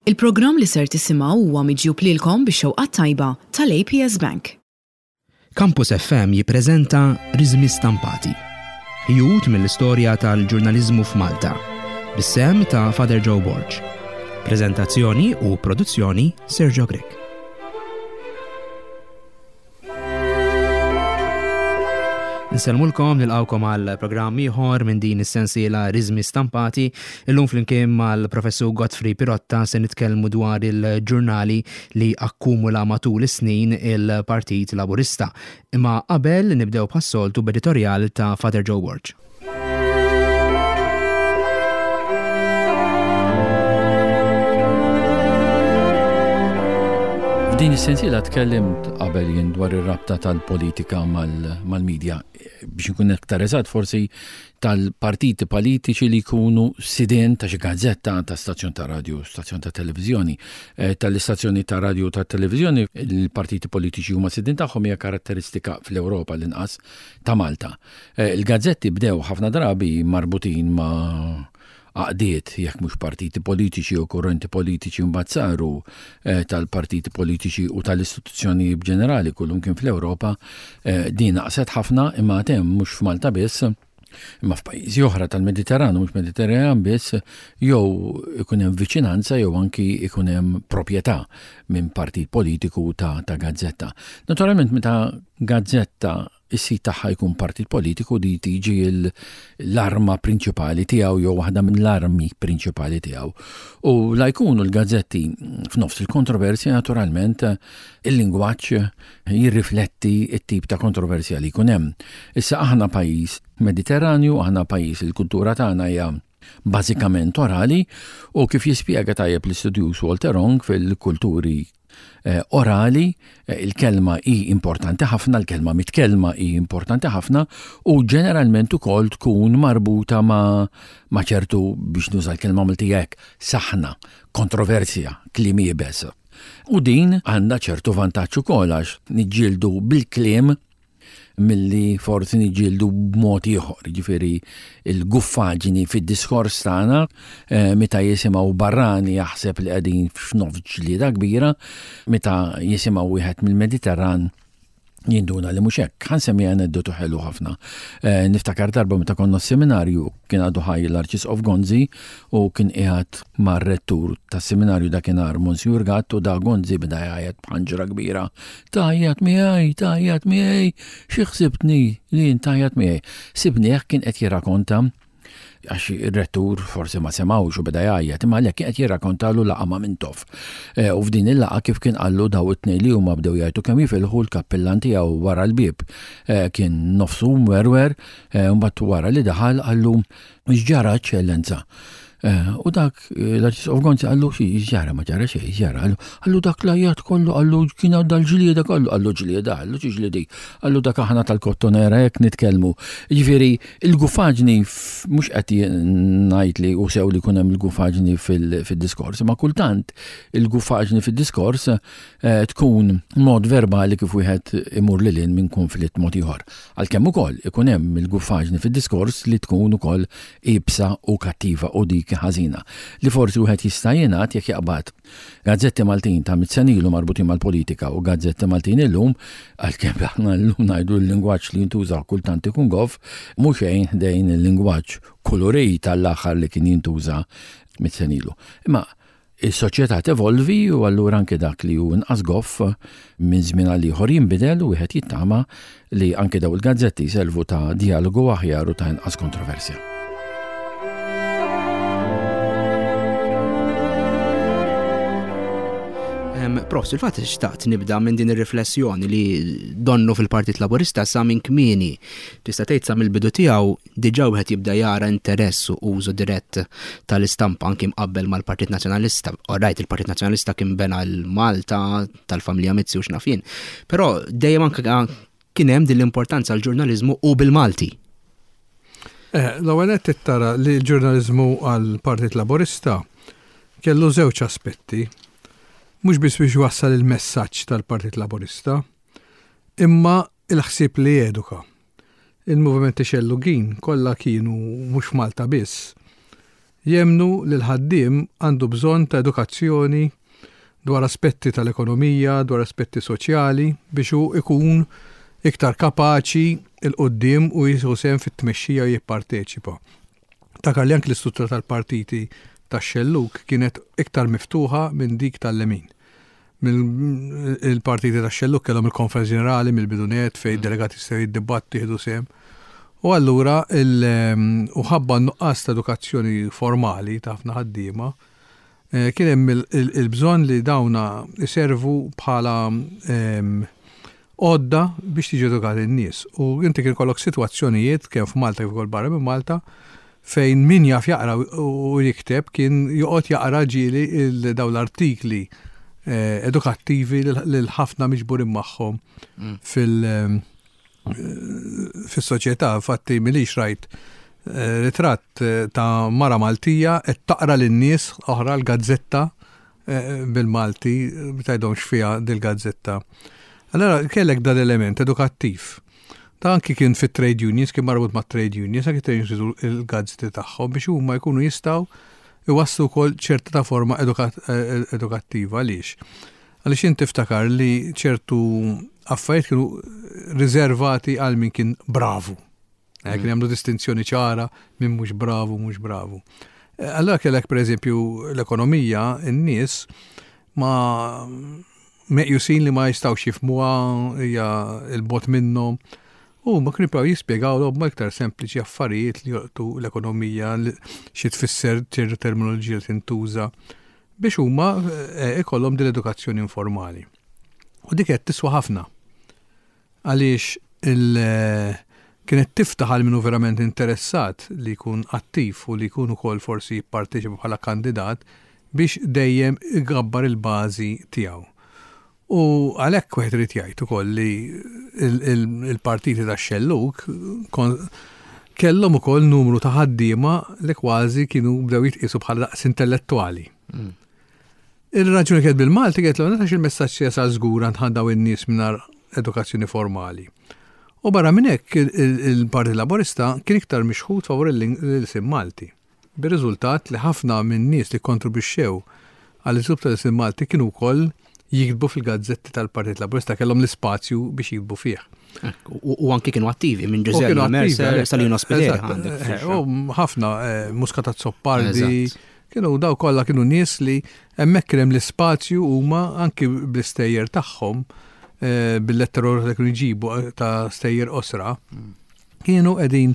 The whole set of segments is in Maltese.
Il-programm li ser tisimgħu huwa miġjub lilkom bix-xewqa t-tajba tal-APS Bank. Campus FM jippreżenta Riżmi Stampati. Ħjut mill-istorja tal-ġurnaliżmu f'Malta. Bis-sehem ta' Father Joe Borg. Preżentazzjoni u produzzjoni Sergio Grech. Nsellmulkom nilqawkom għal programm ieħor minn din is-sensiela Riżmi Stampati. Illum flimkien mal-Professur Godfrey Pirotta se nitkellmu dwar il-ġurnali li akkumula matul is-snin il-Partit Laburista. Imma qabel nibdew bħas-soltu b'editorjal ta' Father Joe Borg. F'din is-sensiela tkellimt qabel jien dwar ir-rabta tal-politika mal-medja. Biex nkun aktar eżatt forsi tal-partiti politiċi li jkunu sidien ta' xi gazzetta, ta' stazzjon ta' radju, stazzjon ta' televiżjoni. Eh, tal-istazzjoni ta' radju ta' televiżjoni, il-partiti politiċi huma sidien tagħhom hija karatteristika fl-Ewropa l-inqas ta' Malta. Eh, il-gazzetti bdew ħafna drabi marbutin ma' għaqdiet, jekk mhux partiti politiċi u kurrenti politiċi mbagħad saru eh, tal-partiti politiċi u tal-istituzzjoni ġenerali kullum kien fl-Ewropa, eh, din naqset ħafna imma hemm mhux f'Malta biss, imma f'pajjiżi oħra tal-Mediterran mhux Mediterran biss, jew ikun hemm viċinanza jew anki ikun hemm proprjetà minn partit politiku ta', ta gazzetta. Naturalment meta gazzetta is-sid tagħha jkun partit politiku di tiġi l-arma prinċipali tiegħu jew waħda mill-armi prinċipali tiegħu. U la jkunu l-gazzetti f'nofs il-kontroversja naturalment il-lingwaġġ jirrifletti t-tip ta' kontroversja li jkun hemm. Issa aħna pajjiż Mediterranju, aħna pajjiż il-kultura tagħna hija bażikament orali u kif jispjega tajjeb l-istudjuż Walter Ong fil-kulturi eh, orali, eh, il-kelma hi importanti ħafna, il-kelma mitkellma hi importanti ħafna u ġeneralment ukoll tkun marbuta ma' ma' ċertu biex nuża l-kelma Maltija hekk, saħna, kontroversja, kliem iebes. U din għandha ċertu vantaġġ ukoll għax niġġieldu bil-kliem milli forsi niġġieldu b'mod ieħor, jiġifieri l-guffaġni fid-diskors tagħna eh, meta jisimgħu barrani jaħseb li qegħdin f'nofs ġlieda kbira, meta jisimgħu wieħed mill-Mediterran jinduna li mhux hekk. Ħa nsemmi aneddotu ħelu ħafna. Eh, niftakar darba meta konna s-seminarju kien għadu ħaj l-Arċisqof Gonzi u kien qiegħed mar-rettur tas-seminarju dakinhar Monsijur Gatt u da Gonzi beda jgħajjat b'ħanġra kbira Tgħajjat miegħi, tgħajjat miegħi, xi ħsibtni li jien tgħajjat miegħi. Sibnieh kien qed jirrakonta għax ir-rettur forsi ma semgħux u beda jgħajjat, imma għalhekk kien qed jirrakontalu laqgħa ma' Mintoff. Eh, u f'din il-laqgħa kif kien qallu daw it-tnejn li huma bdew jgħidu kemm jifilħu l-kappillan tiegħu wara l-bieb. Eh, kien nofsu mwerwer, eh, mbagħad wara li daħal qallu x'ġara eċċellenza. Eh, u dak eh, l-Arċisqof Gonzi qallu xi ġara ma ġara xejn, ġara. Qallu dak l-ajjat kollu, qallu kien dal-ġlieda kollu, qallu ġlieda, qallu xi ġliedi, qallu dak aħna tal-kottonera hekk nitkellmu. Jiġifieri il-gufaġni mhux qed ngħid li u sew li jkun hemm il-gufaġni fil-diskors, ma kultant il-gufaġni fid-diskors eh, tkun mod verbali kif wieħed imur lil minn konflitt mod ieħor. Għalkemm ukoll ikun hemm il-guffaġni fid-diskors li tkun ukoll iebsa u kattiva u dik ħażina. Li forsi wieħed jista' jingħad jekk jaqbad gazzetti Maltin ta' mit sena ilu marbutin mal-politika u gazzetti Maltin illum, għalkemm aħna llum ngħidu l-lingwaġġ li jintuża kultant ikun goff, mhu xejn ħdejn il-lingwaġġ kulurit tal-aħħar li kien jintuża mit sena ilu. Imma Is-soċjetà tevolvi u allura anke dak li hu inqas goff minn żmien għal ieħor jinbidel u wieħed jittama li anke daw il-gazzetti jservu ta' dialogu aħjar u ta' inqas kontroversja. Profs, il-fatt xtaqt nibda minn din ir-riflessjoni li donnu fil-Partit Laburista sa minn kmieni tista' tgħid sa mill-bidu tiegħu Diġà wieħed jibda jara interess u użu dirett tal-istampa anki mqabbel mal-Partit Nazzjonalista. Orajt, il-Partit Nazzjonalista kien bena l-Malta tal-familja Mizzi u x'naf jien. Però dejjem anke kien hemm din l-importanza għall-ġurnaliżmu u bil-Malti. Eh, l-ewwel qed tara li l-ġurnaliżmu għall-Partit Laburista kellu żewġ aspetti. Mhux biss biex wassal il-messaġġ tal-Partit Laburista, imma il-ħsieb li jeduka. Il-movimenti xellugin kollha kienu mhux f'Malta biss. Jemmnu li l-ħaddiem għandu bżonn ta' edukazzjoni dwar aspetti tal-ekonomija, dwar aspetti soċjali biex hu ikun iktar kapaċi 'l quddiem u jieħu sehem fit-tmexxija u jipparteċipa. Ftakar li anki l-istruttura tal-partiti tax-xellug kienet iktar miftuħa minn dik tal-lemin. Il-partiti tax-xellug kellhom il-Konferenza Ġenerali mill-bidu nett fejn id-delegati jistgħu jiddibattu, jieħdu sehem. U allura u ħabba n-nuqqas ta' edukazzjoni formali ta' ħafna ħaddiema, kien hemm il-bżonn li dawna jservu bħala għodda biex tiġi edukati n-nies. U inti kien ikollok sitwazzjonijiet kemm f'Malta kif ukoll barra minn Malta fejn min jaf jaqra u jikteb kien joqgħod jaqra ġieli dawn l-artikli eh, edukattivi lil ħafna miġburin magħhom mm. fil- eh, fis-soċjetà, infatti milix rajt eh, ritratt ta' mara Maltija qed taqra lin-nies oħra l-gazzetta bil-Malti, tgħidhom x'fiha dil-gazzetta. Allora kellek dan l-element edukattiv. Ta' anki kien fit-trade unions, kien marbut ma' trade unions, anki trade unions il-gazzetti tagħhom biex huma jkunu jistgħu iwasslu wkoll ċerta ta' forma edukattiva għaliex. Għaliex inti tiftakar li ċertu affarijiet kienu riservati għal min kien bravu. Eh, kien jagħmlu distinzjoni ċara minn mhux bravu, mhux bravu. Eh, allora kellek pereżempju l-ekonomija, in-nies ma meqjusin li ma jistgħux jifhmuha hija l-bot minnhom. U ma kienu jibqgħu jispjegawlhom ma iktar sempliċi affarijiet li jolqtu l-ekonomija, xi tfisser ċertu terminoloġija li tintuża biex huma eh, ikollhom din l-edukazzjoni informali. U dik qed tiswa ħafna. Għaliex il kienet tiftaħ għal min hu verament interessat li jkun attiv u li jkun ukoll forsi jipparteċipa bħala kandidat biex dejjem igabbar il-bażi tiegħu. U għalhekk wieħed irid jgħid ukoll li il-partiti tax-xellug kellhom ukoll numru ta' ħaddiema li kważi kienu bdew jitqiesu bħala daqs intellettwali. Mm. Ir-raġuni kienet bil-Malti kienet l għax il-messaġġ jasal żgur għand daw in-nies mingħajr edukazzjoni formali. U barra minn hekk il-Partit Laburista kien iktar mixħut favur l-ilsien Malti. Bir-riżultat li ħafna minn nies li kkontribwixxew għall-iżvilupp tal-ilsien Malti kienu wkoll jiktbu fil-gazzetti tal-Partit Laburista, kellhom l-ispazju biex jiktbu fih. U anki kienu attivi minn Ġużè Mercer, Salino Spiteri. Eh, u ħafna eh, Muscat Azzopardi, Kienu daw kollha kienu nies li hemmhekk kien hemm l-ispazju huma anki bl-istejjer tagħhom eh, bil-letteror li kienu jġibu eh, ta' stejjer qosra, kienu qegħdin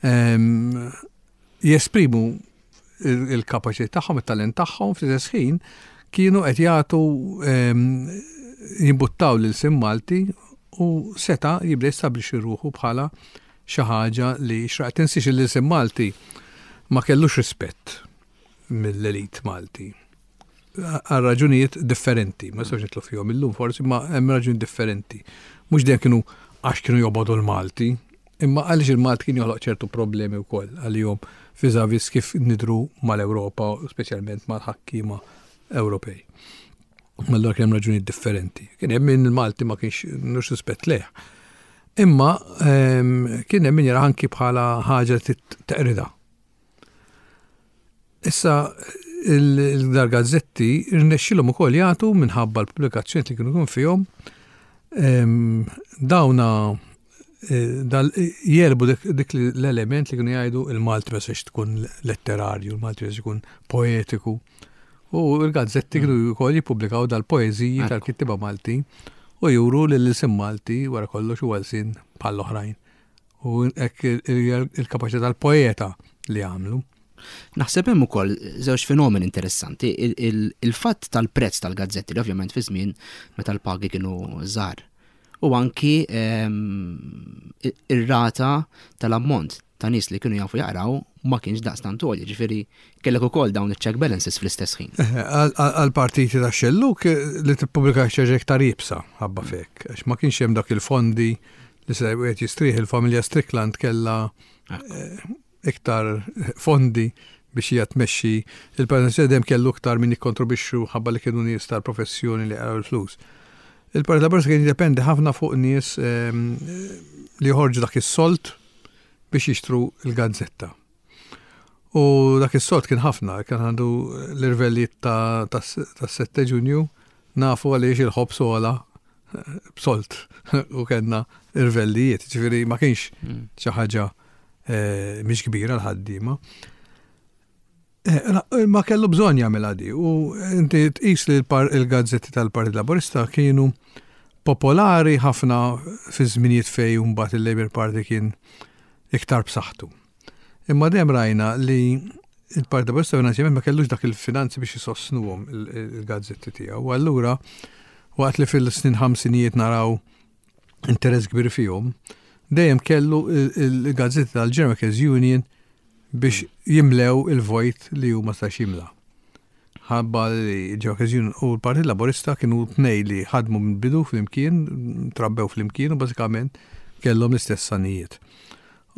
ehm, jesprimu il-kapaċità tagħhom, it-talent tagħhom fl-istess ħin kienu qed jagħtu ehm, jimbuttaw lil sim Malti u seta' jibda jistabbilixxi ruħu bħala xi ħaġa li xraq. Tinsiex li l-ilsien Malti ma kellux rispett mill-elit Malti għal raġunijiet differenti, ma nistgħux nitlu fihom illum forsi, ma hemm raġunijiet differenti. Mhux dejjem kienu għax kienu jobogħdu l-Malti, imma għaliex il-Malti kien joħloq ċertu problemi wkoll għalihom viżavis kif nidru mal-Ewropa, speċjalment mal-ħakkiema Ewropej. Allura kien hemm raġunijiet differenti. Kien hemm min il-Malti ma kienx nux rispett lejh. Imma ehm, kien hemm min jara anki bħala ħaġa teqrida. Issa il-dar gazzetti rnexxilhom ukoll jagħtu minħabba l-pubblikazzjoni li kienu jkun fihom ehm, dawna eh, jelbu dik l-element li kienu jgħidu il-Malti ma tkun letterarju, il-Malti ma jkun poetiku. U l-gazzetti kienu wkoll jippubblikaw dal-poeżiji tal-kittieba Maltin u juru li l-ilsien Malti wara kollox huwa lsien bħall-oħrajn. U hekk il-kapaċità tal-poeta li għamlu. Naħseb hemm ukoll żewġ fenomeni interessanti. Il-fatt tal-prezz tal-gazzetti li ovvjament fi żmien meta l-pagi kienu żgħar. U anki ehm, ir-rata tal-ammont ta' nies li kienu jafu jaqraw ma kienx daqstant għoli, ġifieri kellek ukoll dawn iċ-check balances fl-istess ħin. Għall-partiti ta' xelluk li tippubblika xi ħaġa iktar iebsa ħabba f'hekk, għax ma kienx hemm dak il-fondi li se wieħed jistrieħ il-familja Strickland kellha eh, iktar fondi biex hija tmexxi il-Partit dejjem kellu iktar min jikkontribwixxu ħabba li kienu nies tal-professjoni li jaqraw il-flus. Il-Partit Laburista kien jiddependi ħafna fuq nies ehm, li joħorġu dak is-solt biex jixtru l-gazzetta. U dak is-sold kien ħafna, kien għandu l-irvellijiet tas-7 Ġunju, nafu għaliex il-ħobż għola b'sold u kellna irvellijiet, ġifieri ma kienx hmm. xi ħaġa eh, mhix kbira l-ħaddiema. Eh, ma kellu bżonn jagħmilha di u inti tqis li l-gazzetti tal-Partit Laburista kienu popolari ħafna fi żminijiet fej mbagħad il-Labour Party kien iktar b'saħħtu. Imma dejjem rajna li il-Partit Laburista finanzjament ma kellux dak il-finanzi biex jisostnuhom il-gazzetti tiegħu. U allura waqt li fil-snin ħamsinijiet naraw interess kbir fihom, dejjem kellu il-gazzetti tal-General Workers Union biex jimlew il-vojt li hu ma stax jimla. Ħabba li General Workers Union u l-Partit Laburista kienu tnej li ħadmu mill-bidu flimkien, trabbew flimkien u bażikament kellhom l-istess sanijiet.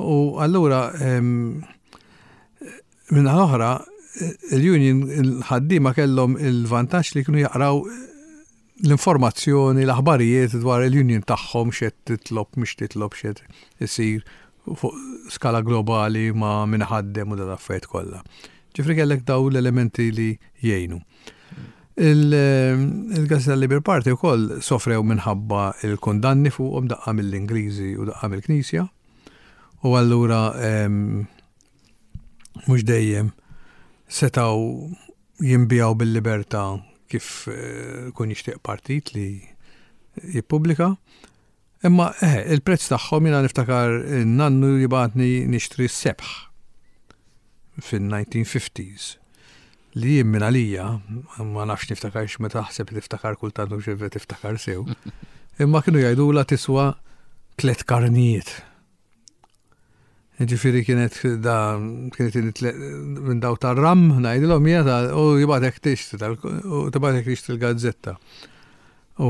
U allura minna l-oħra il-union il-ħaddiema kellhom il-vantaġġ li kienu jaqraw l-informazzjoni, l-aħbarijiet dwar il-union tagħhom x'qed titlob, mhux titlob x'qed isir fuq skala globali ma' min ħaddem u dal-affarijiet kollha. Ġifri kellek daw l-elementi li jgħinu. Il-Gazzetta Labour Party wkoll sofrew minħabba il-kundanni fuqhom daqqa mill-Ingliżi u daqqa mill-Knisja. U allura mhux dejjem setgħu jinbiegħu bil-libertà kif eh, kun jixtieq partit li jippubblika. Imma eh, il-prezz tagħhom jiena niftakar nannu jibgħatni nixtri s-sebħ fin-1950s li jien minn għalija, ma nafx niftakar meta taħseb li tiftakar kultant u xi tiftakar sew, imma kienu jgħidula tiswa tlet karnijiet. Ġifieri kienet da kienet minn daw tar-ram ngħidilhom hija ta' u jibgħatek tixtri u tibgħatek tixtri l-gazzetta. U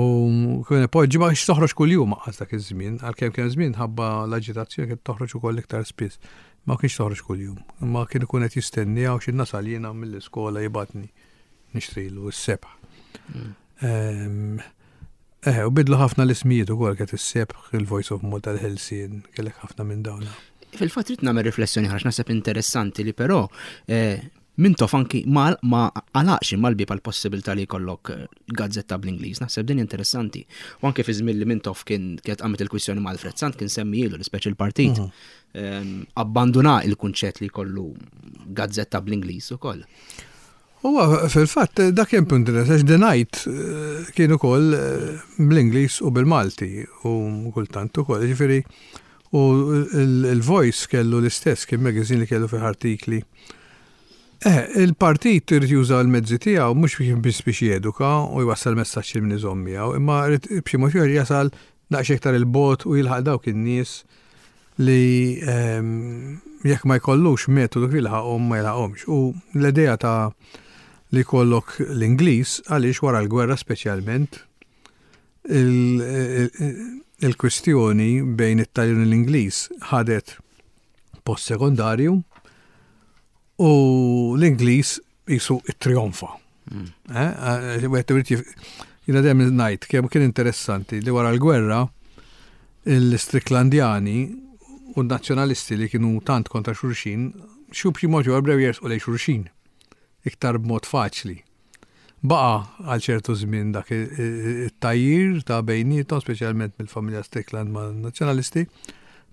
kien poġġi ma kienx toħroġ kuljum aqas dak iż-żmien, għalkemm kien żmien ħabba l-aġitazzjoni kien toħroġ ukoll iktar spiss. Ma kienx toħroġ kuljum, imma kien ikun qed jistenni għaw xi nasal jiena mill-iskola jibgħatni nixtrilu s-sebħ. Mm. Eh, u bidlu ħafna l-ismijiet ukoll kienet is-sebħ, il-Voice of Malta, l-Ħelsien, kellek ħafna minn dawn. Fil-fatt trid nagħmel riflessjoni ħax naħseb interessanti li però eh, Mintoff anki ma ma għalaqx imma l-bieb għall-possibilità li jkollok eh, gazzetta bl-Ingliż. Naħseb din interessanti. U anke fi żmien li Mintoff kien kienet qamet il-kwistjoni ma' Alfred Sant kien semmijilu l-ispeċi l-partit. Mhm. Ehm, abbanduna il-kunċett li jkollu gazzetta bl-Ingliż ukoll. Huwa fil-fatt dak kien punt għax The Night eh, kien ukoll eh, bl-Ingliż u bil-Malti u kultant ukoll. Ġifieri u il-Voice kellu l-istess kien magazine li kellu fih artikli. Eh, il-partit irid juża l-mezzi tiegħu mhux biss biex jeduka u jwassal messaġġ lil min iżomm miegħu, imma irid b'xi mod ieħor jasal daqsxejn iktar il-bogħod u jilħaq dawk in-nies li ehm, jekk ma jkollux metodu kif jilħaqhom ma jilħaqhomx. U l-idea ta' li jkollok l-Ingliż għaliex wara l-gwerra speċjalment il-kwistjoni bejn it-Taljan u l-Ingliż ħadet post sekondarju u l-Ingliż qisu ittrionfa. Hmm. Eh, eh, wieħed irid jiena dejjem ngħid kemm kien interessanti li wara l-gwerra l-Stricklandjani u n-nazzjonalisti li kienu tant kontra xulxin, xi b'xi mod ieħor bdew jersqu lejn xulxin iktar b'mod faċli. Baqa' għal ċertu żmien dak it-tgħajjir ta' bejniethom, speċjalment mill-familja Strickland man-Nazzjonalisti,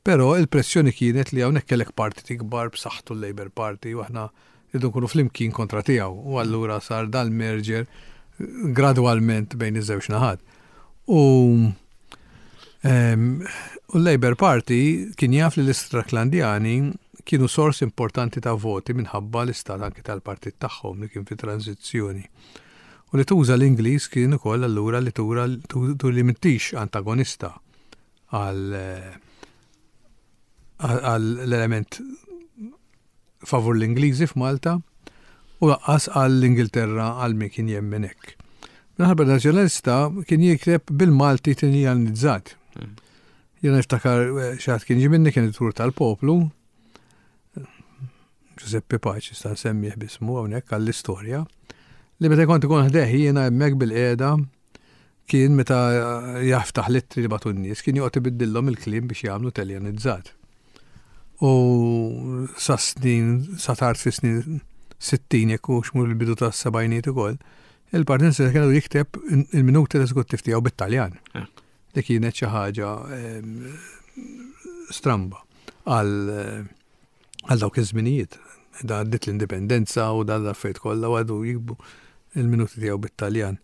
però il-pressjoni kienet li hawnhekk kellek partit ikbar b'saħħtu l-Labour Party u aħna rridu nkunu flimkien kontra tiegħu u allura sar dal-merger gradwalment bejn iż-żewġ naħat. U u l-Labour Party kien jaf li l-Istracklandjani kienu sors importanti ta' voti minħabba l-istat anki tal-partit tagħhom li kien fi tranżizzjoni. U li tuża l-Ingliż kien ukoll allura li tura li m'intix antagonista għal l-element favur l-Ingliżi f'Malta u lanqas għall-Ingilterra għal min kien jemmen hekk. Minħabba Nazzjonalista kien jikteb bil-Malti tinjanizzat. Hmm. Jiena niftakar eh, xi ħadd kien ġie minni kien editur tal-Poplu, Giuseppe Paci, sta nsemmih bismu hawnhekk għall-istorja, li meta kont ikun ħdejh jiena hemmhekk bil-qiegħda kien meta jaftaħ l-ittri li bagħtu n-nies, kien joqgħod ibiddillhom il-kliem biex jagħmlu Taljanizzat. U sa snin, sa tard fi snin 60 jekk hux mur il-bidu tas-sebgħinijiet ukoll, il-Partit Nazzjonalista kienu jikteb il-minuti l-eżekuttiv tiegħu bit-Taljan. Li kienet xi ħaġa ehm, stramba għal għal dawk iż-żminijiet. Da għaddit l-indipendenza u dan l-affarijiet kollha u għadu jikbu il-minuti tiegħu bit-Taljan.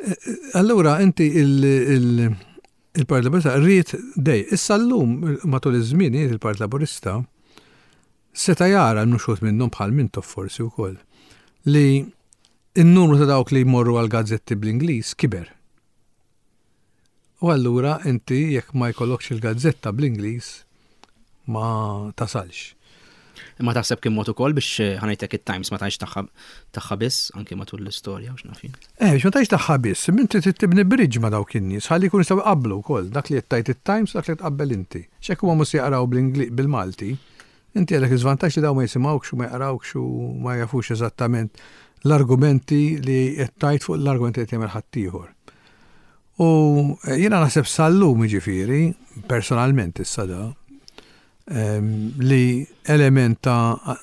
Eh, eh, allura inti il-Partit Laburista rrid dej. Issa llum matul iż-żmien il-Partit Laburista seta' jara l-nuxut minnhom bħal Mintoff forsi wkoll li n-numru ta' dawk li jmorru għal gazzetti bl-Ingliż kiber. U allura inti jekk ma jkollokx il-gazzetta bl-Ingliż ma tasalx. Imma taħseb kien mod ukoll biex eh, ħanajtek it-Times ma tgħix tagħha tagħha biss anke matul l-istorja u x'naf jien. Eh, biex ma tgħix tagħha biss, imma inti trid tibni bridge ma' dawk in-nies ħalli jkunu jistgħu jqabblu wkoll dak li qed tgħid it-Times u dak li tqabbel inti. X'hekk huma mhux se jaqraw bil-Malti, inti għandek iż-żvantaġġ li dawn ma jisimgħukx u ma jaqrawkx u ma jafux eżattament l-argumenti li qed tgħid fuq l-argumenti li qed jagħmel ħaddieħor. U jiena naħseb sal-lum jiġifieri, personalment issa da, li element ta'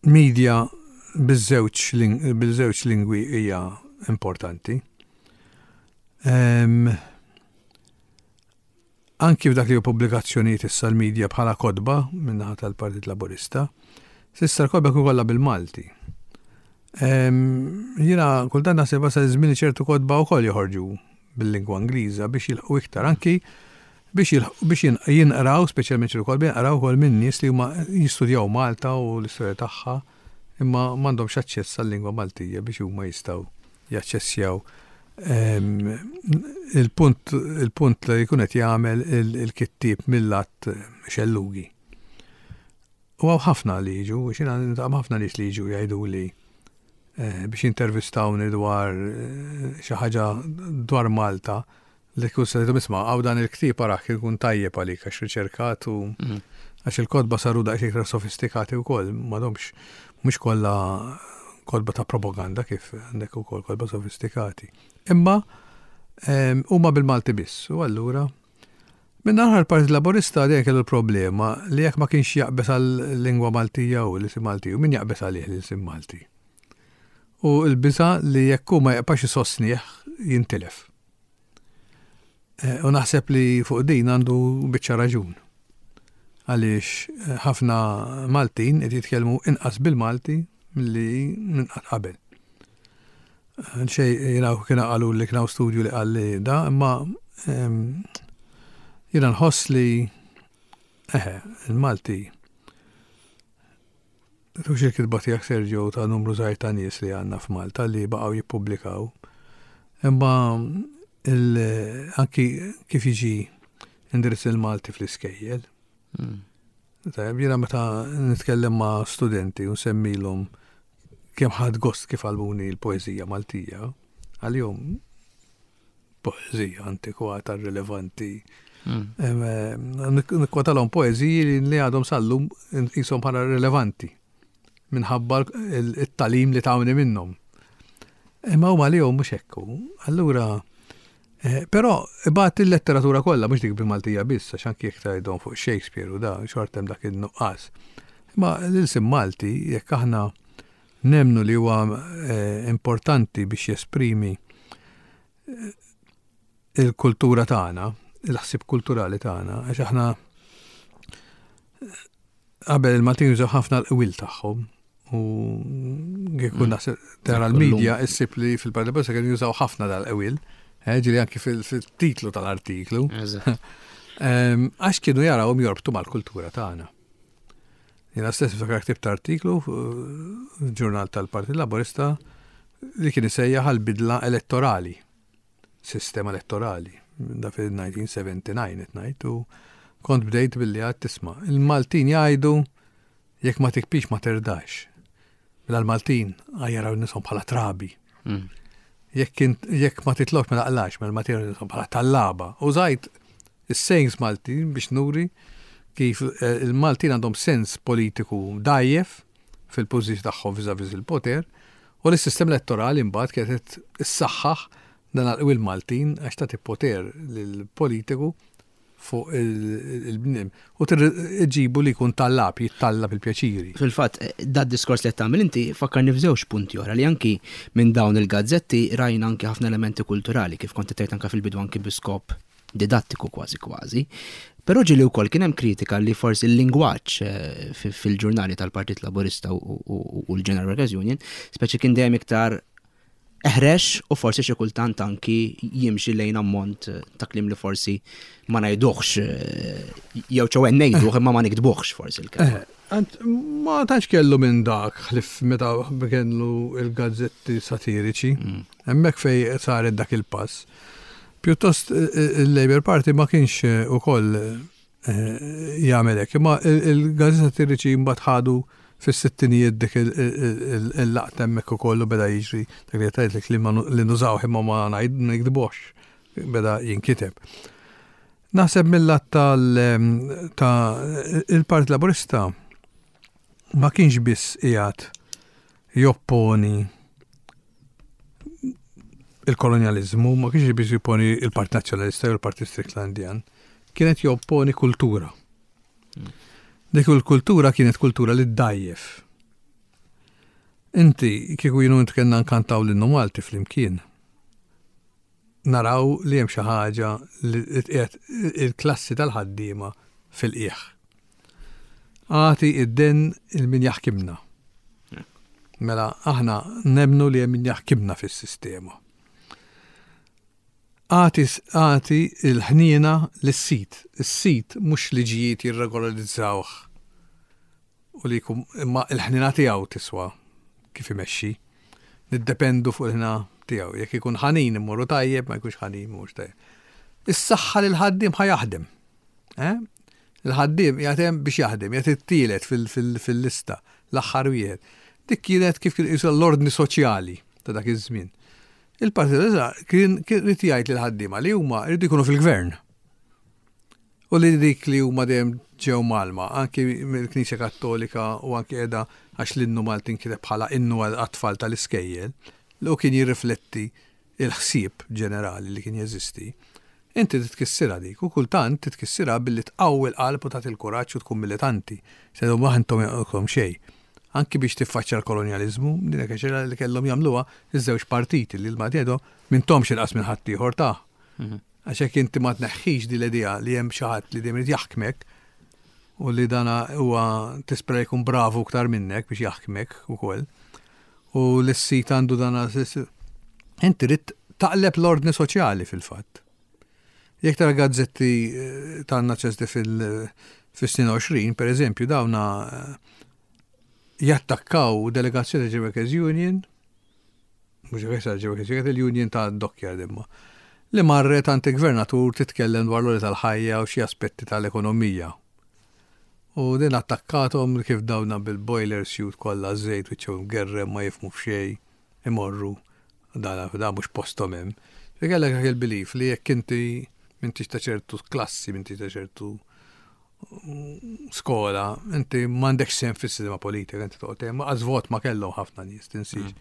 media biż-żewġ lingwi hija importanti. Anki f'dak li hu pubblikazzjonijiet issa l-media bħala kotba min-naħa tal-Partit Laburista, s'issa l-kotba kienu kollha bil-Malti. Jiena kultant naħseb wasal iż-żmien li ċertu kotba wkoll joħorġu bil-lingwa Ingliża biex jilħqu iktar anki biex biex jinqraw, speċjalment ċertu kotba jinqraw ukoll minn nies li huma jistudjaw Malta u l-istorja tagħha imma m'għandhomx aċċess għal-lingwa Maltija biex huma jistgħu jaċċessjaw il-punt il-punt li jkun qed jagħmel il-kittieb mill-att xellugi. U hawn ħafna li jiġu, xina niltaqa' ħafna nies li jiġu jgħiduli eh, biex jintervistawni dwar eh, xi ħaġa dwar Malta Li kieku se tgħidilhom isma' hawn dan il-ktieb arah kien ikun tajjeb għalik għax riċerkat u għax il-kotba saru daqsxejn iktar sofistikati wkoll, m'għadhomx mhux kollha kotba ta' propaganda kif għandek ukoll kotba sofistikati. Imma ehm, huma bil-Malti biss u allura Minn naħa l-Partit Laburista dejjem kellu l-problema li jekk ma kienx jaqbeż għal-lingwa Maltija u l-isim Malti, u min jaqbeż għalih l-isim Malti. U l-biża' li jekk hu ma jibqax isostnih jintilef. Eh, u naħseb li fuq din għandu biċċa raġun. Għaliex eh, ħafna Maltin qed jitkellmu inqas bil-Malti milli minn qatt qabel. Eh, xej jiena kien qalu li kien studju li qal li da, imma ehm, jiena nħoss li eħe, il-Malti Tux il-kitba tiegħek Sergio ta' numru żgħir ta' nies li għandna f'Malta li baqgħu jippubblikaw. Imma anki kif jiġi indirizz il-Malti fl-iskejjel. Hmm. Tajjeb, jiena meta nitkellem ma' studenti u nsemmilhom kemm ħadd gost kif għalmuni l-poeżija Maltija, għalihom poeżija antikwata rilevanti. Hmm. Eh, nikkwotalhom poeżiji li għadhom sallum jisom bħala rilevanti minħabba il-talim li tawni minnhom. Imma huma li mhux hekk. Allura, eh, però ibgħat il-letteratura kollha mhux dik bil-Maltija biss, għax anki jekk tgħidhom fuq Shakespeare u da xorta hemm dak in-nuqqas. Imma l-ilsim Malti jekk aħna Nemmnu li huwa eh, importanti biex jesprimi eh, il-kultura tagħna, il-ħsieb kulturali tagħna, għax aħna eh, qabel il-Maltin jużaw ħafna l-qwil tagħhom u kieku mm. naħseb tara l-medja issib li fil-Parti Bossa kienu jużaw ħafna dal-qwil, ġieli anki fil-titlu tal-artiklu. Ehm, għax kienu jarawhom jorbtu mal-kultura tagħna. Jiena stess niftakar ktibt artiklu f'ġurnal tal-Partit Laburista li kien isejjaħ għal bidla elettorali, sistema elettorali, da fil-1979 qed ngħid u kont bdejt billi għad tisma' il-Maltin jgħidu jekk ma tikbix ma terdax. Mela l-Maltin jaraw nisom bħala trabi. Mm. Jekk ma titlobx ma taqlax, mela l-Maltin jaraw nisom bħala tallaba. Użajt is-sayings Maltin biex nuri kif eh, il-Maltin għandhom sens politiku dajjef fil-pożizzjoni tagħhom vis-a-vis il-poter u li s-sistema elettorali mbagħad kienet issaħħaħ dan għal Maltin għax tagħti poter lill-politiku. fuq il-bniem u tġibu li jkun tallab, jittallab il-pjaċiri. Fil-fatt, dad diskors li qed tagħmel inti fakkarni f'żewġ punti oħra li anki minn dawn il-gazzetti rajna anki ħafna elementi kulturali kif kont tgħid anke fil-bidu anki bi skop didattiku kważi kważi. Però ġieli wkoll kien hemm kritika li forsi l-lingwaġġ eh, fil-ġurnali tal-Partit Laburista u l-General Workers Union speċi kien dejjem iktar eħrex u forsi xi kultant anki jimxi lejn ammont ta' kliem li forsi ma ngħiduhx eh, jew ċew ngħiduh imma ma niktbuhx forsi l-kelma. Eh, ma tantx kellu minn dak ħlif meta kellu il-gazzetti satiriċi. Hemmhekk fej saret dak il-pass. Pjuttost eh, il-Labour Party ma kienx ukoll jagħmel hekk. Imma il-gazzetti satiriċi mbagħad ħadu fis-sittinijiet dik il-laqta hemmhekk ukoll u beda jiġri dak li tgħidlek li li nużawh imma ma nikdbuhx beda jinkiteb. Naħseb mill-lat tal ta' il-Partit Laburista ma kienx biss qiegħed jopponi il-kolonjaliżmu, ma kienx biss jopponi il-Partit Nazzjonalista jew il-Partit Stricklandian, kienet jopponi kultura. Dik il-kultura kienet kultura li ddgħajjef. Inti, kieku jien u int kellna nkantaw l-innu Malti flimkien, naraw li hemm xi ħaġa li tqiegħed il-klassi tal-ħaddiema fil-qiegħ. Agħti id-den il min jaħkimna. Mela aħna nemmnu li hemm min jaħkimna fis-sistema. Agħti agħti l-ħniena lis-sid. Is-sid mhux liġijiet jirregolarizzawh u li jkun imma l-ħniena tiegħu tiswa kif imexxi. Niddependu fuq il-ħniena tiegħu. Jekk ikun ħanin immorru tajjeb, ma jkunx ħanin mhux tajjeb. Is-saħħa lil ħaddiem ħa jaħdem. Eh? Il-ħaddiem qiegħed hemm biex jaħdem, qiegħed it-tielet fil-lista, l-aħħar wieħed. Dik kienet kif kien l-ordni soċjali ta' dak iż-żmien. Il-Partit Laburista kien irid jgħid lill-ħaddiema li huma jridu jkunu fil-gvern. U li dik li huma dejjem ġew mgħallma, anki mill-Knisja Kattolika u anki qiegħda għax l-innu Malti nkiteb bħala innu għat-tfal tal-iskejjel, li hu kien jirrifletti l-ħsieb ġenerali li kien jeżisti, inti trid tkissirha dik u kultant trid tkissirha billi tqawwi l-qalb u tagħti l-kuraġġ u tkun militanti. Se tgħidhom aħ intom jaqgħodkom xejn. Anki biex tiffaċċja l-kolonjaliżmu, din hekk xi li kellhom jagħmluha iż-żewġ partiti li l-Malti jgħidhom m'intomx inqas minn ħaddieħor ta'. Mhm. Għax hekk inti ma tneħħix din l-idea li hemm xi ħadd li dejjem irid jaħkmek u li dana huwa tispera jkun bravu iktar minnek biex jaħkmek ukoll. U l-sit għandu dan Inti trid taqleb l-ordni soċjali fil-fatt. Jekk tara gazzetti eh, ta' naċesti fil-snin 20, per eżempju, dawna eh, jattakkaw delegazzjoni ta' Workers Union, mhux Workers Union, il-Union ta' Dockyard imma, li marret għand il-gvernatur titkellem dwar l tal-ħajja u xi aspetti tal-ekonomija. U din attakkathom kif dawna bil-boiler suit kollha żejt wiċċhom imgerrem ma jifhmu f'xejn imorru dan dan mhux posthom hemm. Ġifieri kellek dak il-belief li jekk inti m'intix ta' ċertu klassi, m'intix ta' ċertu skola, inti m'għandekx sehem fis-sistema politika, inti toqgħod hemm, qas vot ma kellhom ħafna nies, tinsiex.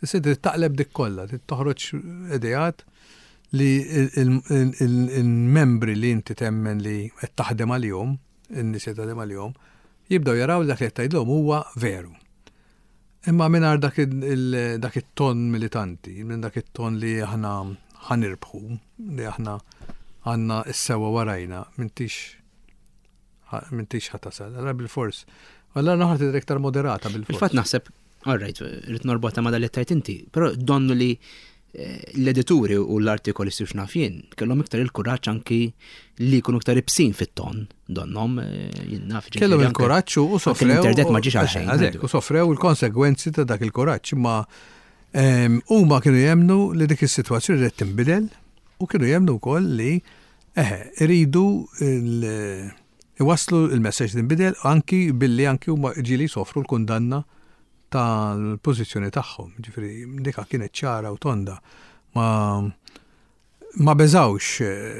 Issa trid taqleb dik kollha, trid toħroġ ideat li il-membri li inti temmen li qed taħdem għalihom, in-nies li taħdem għalihom, jibdew jaraw li dak li qed tgħidlhom huwa veru. Imma mingħajr dak it-ton militanti, minn dak it-ton li aħna ħanirbħu, li aħna għandna s-sewwa warajna, m'intix m'intix ħa tasal. Allora bil-fors. Allora naħa tidher iktar moderata bil-fors. Fil-fatt naħseb, all right, rrid norbotha ma' dak li tajt inti, però donnu li eh, l-edituri u l-artikolisti u x'naf jien kellhom iktar il-kuraġġ anki li jkunu iktar ibsin fit-ton, donnom eh, jien naf. Kellhom il-kuraġġ u sofrew. L-internet ma ġiex għal xejn. Eh, u sofrew il-konsegwenzi ta' dak il-kuraġġ, imma ehm, huma kienu jemnu li dik is-sitwazzjoni qed tinbidel u kienu jemnu wkoll li Eħe, iridu iwasslu l-messaġġ li nbidel anki billi anki huma ġieli jsofru l-kundanna tal-pożizzjoni tagħhom. Ġifieri dika kienet ċara u tonda. Ma ma beżawx,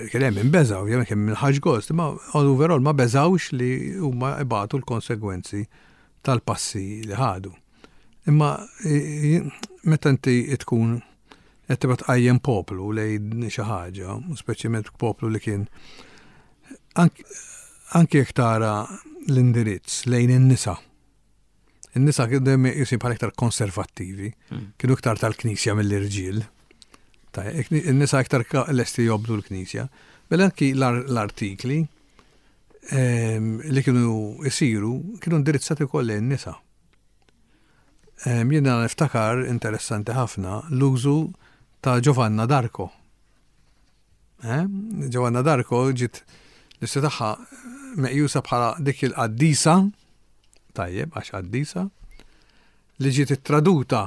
kien hemm min beża', ovvjament kien min ħax gost, imma overall ma beżawx li huma ibatu l-konsegwenzi tal-passi li ħadu. Imma meta inti tkun qed tibgħat tqajjem poplu lejn xi ħaġa, u speċjalment poplu li kien Anki jekk tara l-indirizz lejn in-nisa. In-nisa kienu dejjem meqjusin bħala iktar konservattivi, hmm. kienu iktar tal-Knisja mill-irġiel. In-nisa iktar lesti jobdu l-Knisja. Mela anki l-artikli ehm, li kienu isiru kienu indirizzati wkoll lejn nisa. Ehm, jiena niftakar interessanti ħafna l-użu ta' Giovanna D'Arco. Eh? Giovanna D'Arco ġiet l-istorja tagħha meqjusa bħala dik il-qaddisa, tajjeb għax qaddisa, li ġiet ittraduta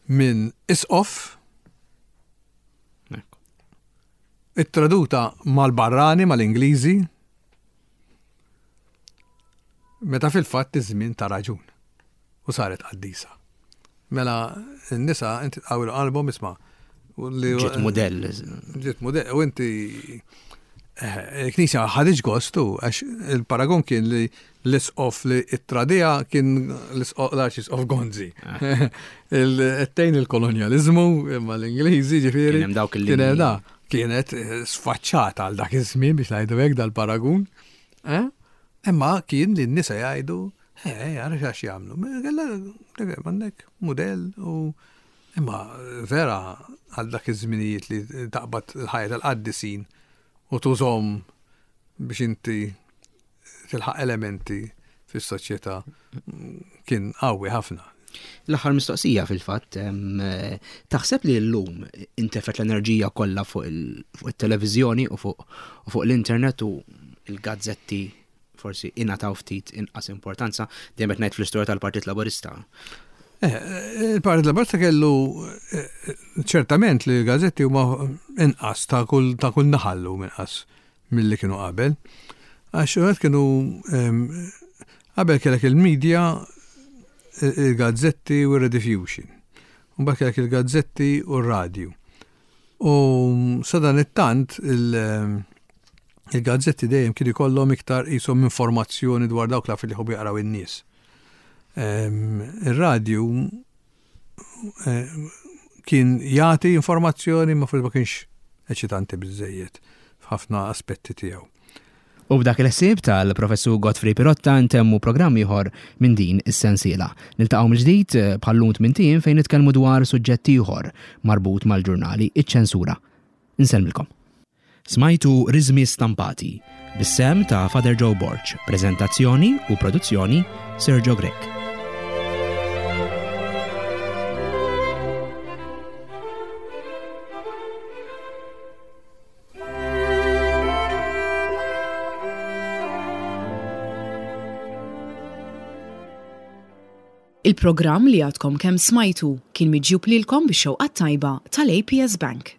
minn isqof ittraduta mal-barrani, mal-Ingliżi, meta fil-fatt iż-żmien ta raġun u saret qaddisa. Mela n-nisa inti tqawwilu qalbhom isma' Ġiet mudell. Ġiet mudell u inti eh, il-Knisja ħaditx gostu għax il-paragon kien li l-isqof li it-tradija kien l-arċisqof Gonzi. Ah. Il-tejn il-kolonjalizmu imma l-Ingliżi ġifieri. Kien hemm dawk il Kienet eh, sfaċċata għal dak iż-żmien biex ngħidu hekk dal-paragun. Eh? Imma kien li n-nisa jgħidu, eh, għara xax jagħmlu. Għandek mudell u imma vera għal dak iż-żminijiet li taqbad il-ħajja tal-qaddisin u tużhom biex inti tilħaq elementi fis-soċjetà kien qawwi ħafna. L-aħħar mistoqsija fil-fatt, taħseb li llum intefet l-enerġija kollha fuq it-televiżjoni u fuq l-internet u l-gazzetti forsi ingħataw ftit inqas importanza dejjem qed ngħid fl-istorja tal-Partit Laburista. Eh, il-Partit Laburista kellu eh, ċertament li l-gazzetti huma inqas ta' kull ta' kull naħallu inqas milli kienu qabel. Għax għed kienu qabel kellek il-media, il-gazzetti u r-rediffusion. Mbagħad kellek il-gazzetti u r-radju. U sadan it-tant il-gazzetti dejjem kienu jkollhom iktar qishom informazzjoni dwar dawk l-affarijiet li jħobbu jaqraw in-nies. Ir-radju eh, kien jagħti informazzjoni ma forsi ma kienx eċitanti biżejjed f'ħafna aspetti tiegħu. U b'dak il-ħsieb tal-Professur Godfrey Pirotta ntemmu programm ieħor minn din is-sensiela. Niltaqgħu mill-ġdid eh, bħal-lum tmien fejn nitkellmu dwar suġġett ieħor marbut mal-ġurnali, iċ-ċensura. Insellmilkom. Smajtu Riżmi Stampati, bis-sehem ta' Father Joe Borg, preżentazzjoni u produzzjoni Sergio Grech. Il-programm li għadkom kemm smajtu kien miġjub lilkom bix-xewqa t-tajba tal-APS Bank.